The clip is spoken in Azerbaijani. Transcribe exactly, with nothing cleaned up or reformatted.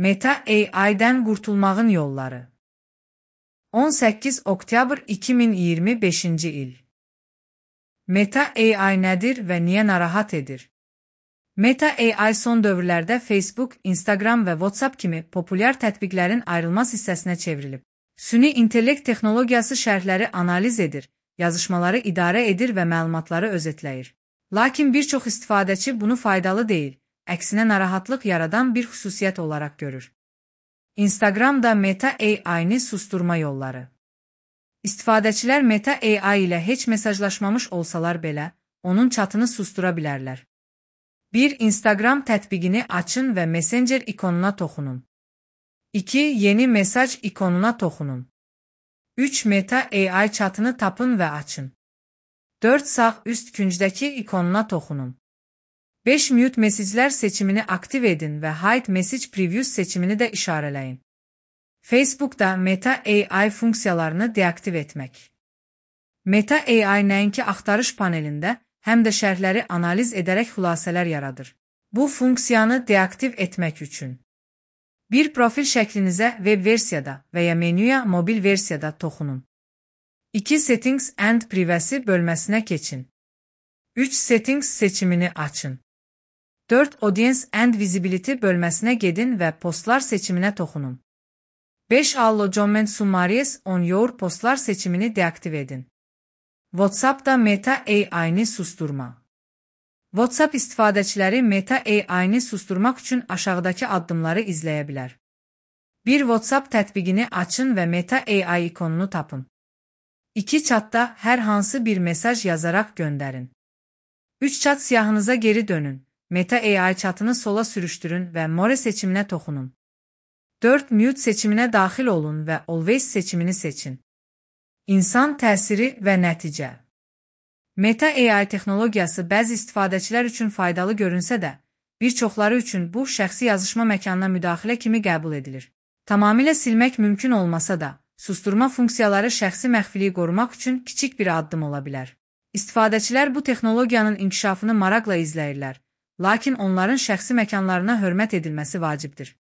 Meta A I'dən qurtulmağın yolları. on səkkiz oktyabr iki min iyirmi beşinci il. Meta A I nədir və niyə narahat edir? Meta A I son dövrlərdə Facebook, Instagram və WhatsApp kimi populyar tətbiqlərin ayrılmaz hissəsinə çevrilib. Süni intellekt texnologiyası şərhləri analiz edir, yazışmaları idarə edir və məlumatları özetləyir. Lakin bir çox istifadəçi bunu faydalı deyil, əksinə narahatlıq yaradan bir xüsusiyyət olaraq görür. Instagramda Meta A I-ni susturma yolları. İstifadəçilər Meta A I ilə heç mesajlaşmamış olsalar belə, onun çatını sustura bilərlər. bir Instagram tətbiqini açın və Messenger ikonuna toxunun. iki Yeni mesaj ikonuna toxunun. üç Meta A I çatını tapın və açın. dörd Sağ üst küncdəki ikonuna toxunun. beş Mute mesajlar seçimini aktiv edin və Hide Message Previews seçimini də işarələyin. Facebookda Meta A I funksiyalarını deaktiv etmək. Meta A I nəinki axtarış panelində, həm də şərhləri analiz edərək xülasələr yaradır. Bu funksiyanı deaktiv etmək üçün bir profil şəklinizə web versiyada və ya menyuya mobil versiyada toxunun. iki Settings and Privacy bölməsinə keçin. üç Settings seçimini açın. dörd Audience and Visibility bölməsinə gedin və postlar seçiminə toxunun. beş Allocation Summaries on Your postlar seçimini deaktiv edin. WhatsAppda Meta A I-ni susturma. WhatsApp istifadəçiləri Meta A I-ni susturmaq üçün aşağıdakı addımları izləyə bilər. bir WhatsApp tətbiqini açın və Meta A I ikonunu tapın. iki Chatda hər hansı bir mesaj yazaraq göndərin. üç Chat siyahınıza geri dönün. Meta A I chatını sola sürüşdürün və More seçiminə toxunun. dörd Mute seçiminə daxil olun və Always seçimini seçin. İnsan təsiri və nəticə. Meta A I texnologiyası bəzi istifadəçilər üçün faydalı görünsə də, bir çoxları üçün bu şəxsi yazışma məkanına müdaxilə kimi qəbul edilir. Tamamilə silmək mümkün olmasa da, susturma funksiyaları şəxsi məxfiliyi qorumaq üçün kiçik bir addım ola bilər. İstifadəçilər bu texnologiyanın inkişafını maraqla izləyirlər, lakin onların şəxsi məkanlarına hörmət edilməsi vacibdir.